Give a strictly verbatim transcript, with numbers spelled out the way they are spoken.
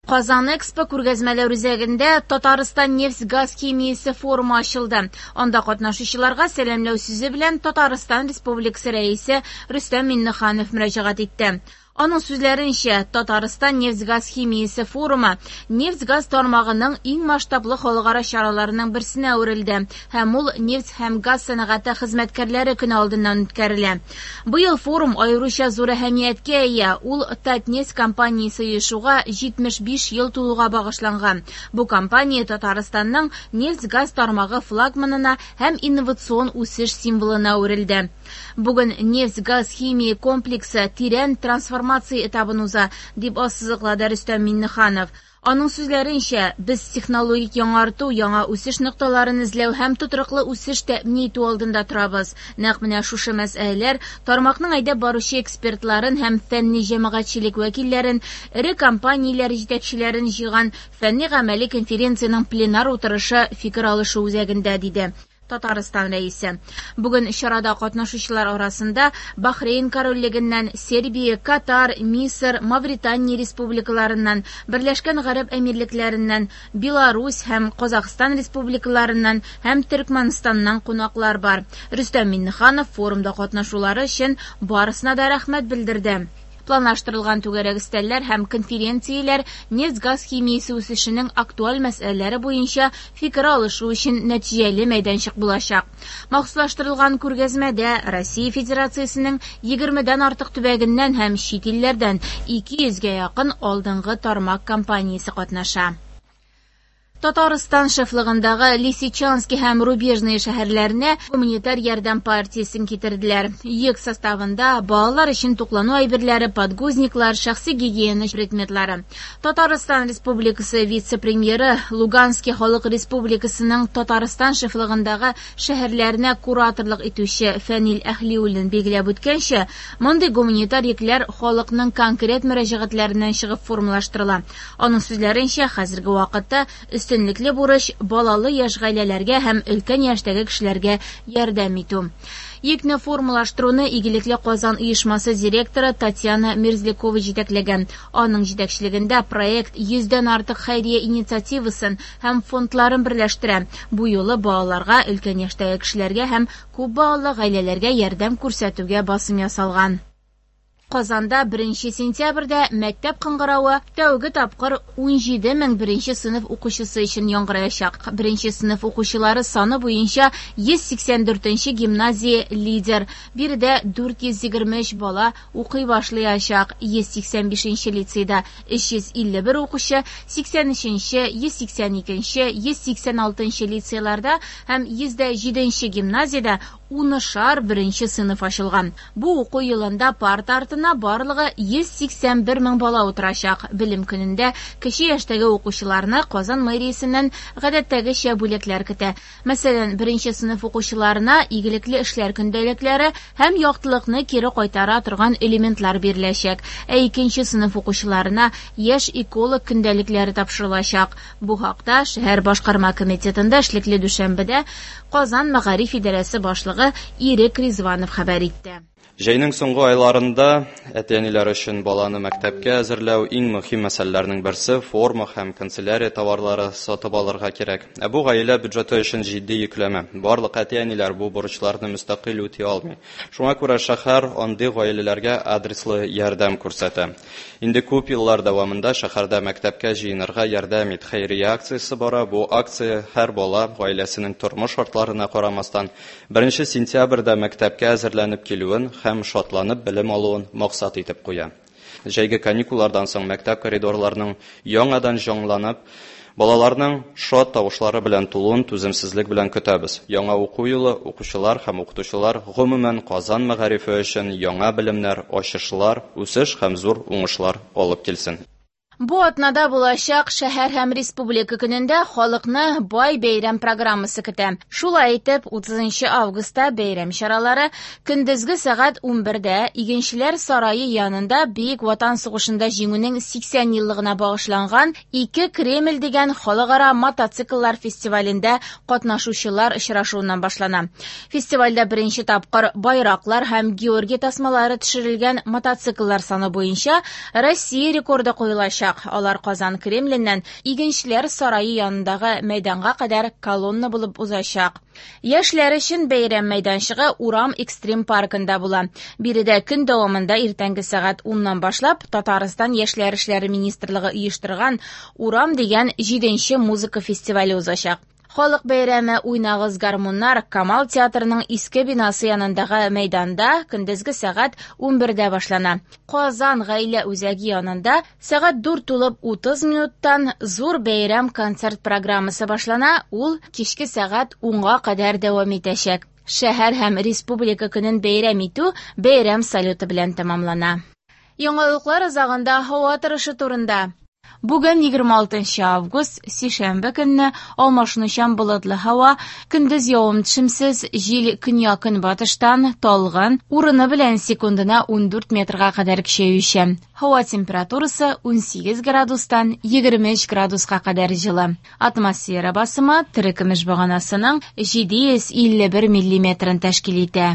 Казан Экспо күргәзмәләр үзәгендә Татарстан нефть-газ химиясе форумы ачылды. Анда катнашучыларга сәламләү сүзе белән Татарстан Республикасы Рәисе Рөстәм Миңнеханов мөрәҗәгать итте. Аның сүзләренчә, Татарстан нефть-газ химиясе форумы нефть-газ тармагының иң масштаблы халыкара чараларының берсенә әверелде һәм ул нефть һәм газ сәнәгате хезмәткәрләре көне алдыннан үткәрелә. Быел форум аеруча зур әһәмияткә ия. Ул Татнефть компаниясе оешуга җитмеш биш ел тулуга багышланган. Бу компания Татарстанның нефть-газ тармагы флагманына һәм инновацион үсеш символына әверелде. Бүген нефть-газ химия комплексы тирән трансформация этабын уза, дип ассызыклады Рөстәм Миңнеханов. Аның сүзләренчә, без технологик яңарту, яңа үсеш нокталарын эзләү һәм тотрыклы үсеш тәэмин итү алдында торабыз. Нәкъ менә шушы мәсьәләләр тармакның әйдәп баручы экспертларын һәм фәнни җәмәгатьчелек вәкилләрен, эре компанияләр җитәкчеләрен җыйган фәнни-гамәли конференциянең пленар утырышы фикер алышу үзәгендә, диде Татарстан Рәисе. Бүген чарада катнашучылар арасында Бахрейн Корольлегеннән, Сербия, Катар, Мисыр, Мавритания республикаларыннан, Берләшкән Гарәп Әмирлекләреннән, Беларусь һәм Казахстан республикаларыннан һәм Төркмәнстаннан кунаклар бар. Рөстәм Миңнеханов форумда катнашулары өчен барысына да рәхмәт белдерде. Планлаштырылган түгәрәк өстәлләр һәм конференцияләр нефть-газ химиясе үсешенең актуаль мәсьәләләре буенча фикер алышу өчен нәтиҗәле мәйданчык булачак. Махсуслаштырылган күргәзмәдә Россия Федерациясенең егермедән артык төбәгеннән һәм чит илләрдән ике йөзгә якын алдынгы тармак компаниясе катнаша. Татарстан шефлыгындагы Лисичанский һәм Рубежные шәһәрләренә гуманитар ярдәм партиясен китерделәр. Йөк составында балалар өчен туклану әйберләре, подгузниклар, шәхси гигиена предметлары. Татарстан Республикасы вице-премьеры Луганский халык республикасының Татарстан шефлыгындагы шәһәрләренә кураторлык итүче Фәнил Әһлиуллин билгеләп үткәнчә, мондый гуманитар йөкләр халыкның конкрет мөрәҗәгатьләреннән чыгып формалаштырыла. Аның сүзләренчә, хәзерге вакытта өстенлекле бурыч балалы яшь гаиләләргә һәм өлкән яшьтәге кешеләргә ярдәм итү. Йөкне формалаштыруны Игелекле Казан оешмасы директоры Татьяна Мерзлякова җитәкләгән. Аның җитәкчелегендә проект йөздән артык хәйрия инициативасын һәм фондларын берләштерә. Бу юлы балаларга, өлкән яшьтәге кешеләргә һәм күп балалы гаиләләргә ярдәм күрсәтүгә басым ясалган. Казанда беренче сентябрьдә мәктәп кыңгыравы тәүге тапкыр ун җиде мең беренче сыйныф укучысы өчен яңгыраячак. Беренче сыйныф укучылары саны буенча йөз сиксән дүртенче гимназия лидер. Биредә дүрт йөз егерме өч бала укый башлаячак. Йөз сиксән бишенче лицейда өч йөз илле бер укучы, сиксән өченче, йөз сиксән икенче, йөз сиксән алтынчы лицейларда һәм йөз дә җиденче гимназиядә унышар беренче сыйныф ачылган. Бу уку елында парта артына барлыгы йөз сиксән бер мең бала утырачак. Белем көнендә кече яшьтәге укучыларны Казан мэриясеннән гадәттәгечә бүләкләр көтә. Мәсәлән, беренче сыйныф укучыларына игелекле эшләр көндәлекләре һәм яктылыкны кире кайтара торган элементлар биреләчәк. Ә икенче сыйныф укучыларына яшь эколог көндәлекләре тапшырылачак. Бу хакта шәһәр башкарма комитетында эшлекле дүшәмбедә Казан мәгариф идарәсе башлыгы Ирек Ризванов хәбәр итте. Җәйнең соңгы айларында әти-әниләр өчен баланы мәктәпкә әзерләү иң мөһим мәсьәләләрнең берсе форма һәм канцелярия товарлары сатып алырга кирәк. Ә бу гаилә бюджеты өчен җитди йөкләмә. Барлык әти-әниләр бу бурычларны мөстәкыйль үти алмый. Шуңа күрә шәһәр андый гаиләләргә адреслы ярдәм күрсәтә. Инде күп еллар дәвамында шәһәрдә мәктәпкә җыенырга ярдәм ит хәйрия акциясе бара. Бу акция һәр бала гаиләсенең тормыш шартларына карамастан беренче сентябрьдә мәктәпкә әзерләнеп килүен һәм шатланып белем алуын максат итеп куя. Җәйге каникуллардан соң мәктәп коридорларының яңадан җанланып, балаларның шат тавышлары белән тулуын түземсезлек белән көтәбез. Яңа уку елы укучылар һәм укытучылар гомумән Казан мәгарифе өчен яңа белемнәр, ачышлар, үсеш һәм зур уңышлар алып килсен. Бу атнада булачак шәһәр һәм республика көнендә халыкны бай бәйрәм программасы көтә. Шулай итеп, утызынчы августта бәйрәм чаралары көндезге сәгать унбердә Игенчеләр сарае янында Бөек Ватан сугышында җиңүнең сиксән еллыгына багышланган Ике Кремль дигән халыкара мотоцикллар фестивалендә катнашучылар очрашуыннан башлана. Фестивальдә беренче тапкыр байраклар һәм Георгий тасмалары төшерелгән мотоцикллар саны буенча Россия рекорды куелачак. узачак. Алар Казан Кремленнән Игенчеләр сарае янындагы мәйданга кадәр колонна булып узачак. Яшьләр өчен бәйрәм мәйданчыгы Урам экстрим паркында була. Биредә көн дәвамында иртәнге сәгать уннан башлап Татарстан Яшьләр эшләре министрлыгы оештырган Урам дигән җиденче музыка фестивале узачак. Халык бәйрәме «Уйнагыз гармуннар» Камал театрының иске бинасы янындагы мәйданда көндезге сәгать унбердә башлана. Казан гаилә үзәге янында сәгать дүрт тулып утыз минуттан зур бәйрәм концерт программасы башлана, ул кичке сәгать унга кадәр дәвам итәчәк. Шәһәр һәм республика көнен бәйрәм итү бәйрәм салюты белән тәмамлана. Яңалыклар азагында һава торышы турында. Бүген егерме алтынчы август, сишәмбе көнне алмашынучан болытлы һава, көндез явым-төшемсез, җил көньяк-көнбатыштан талгын, урыны белән секундына ундүрт метрга кадәр көчәючән. Һава температурасы унсигез градустан егерме өч градуска кадәр җылы. Атмосфера басымы терекөмеш баганасының җиде йөз илле бер миллиметрын тәшкил итә.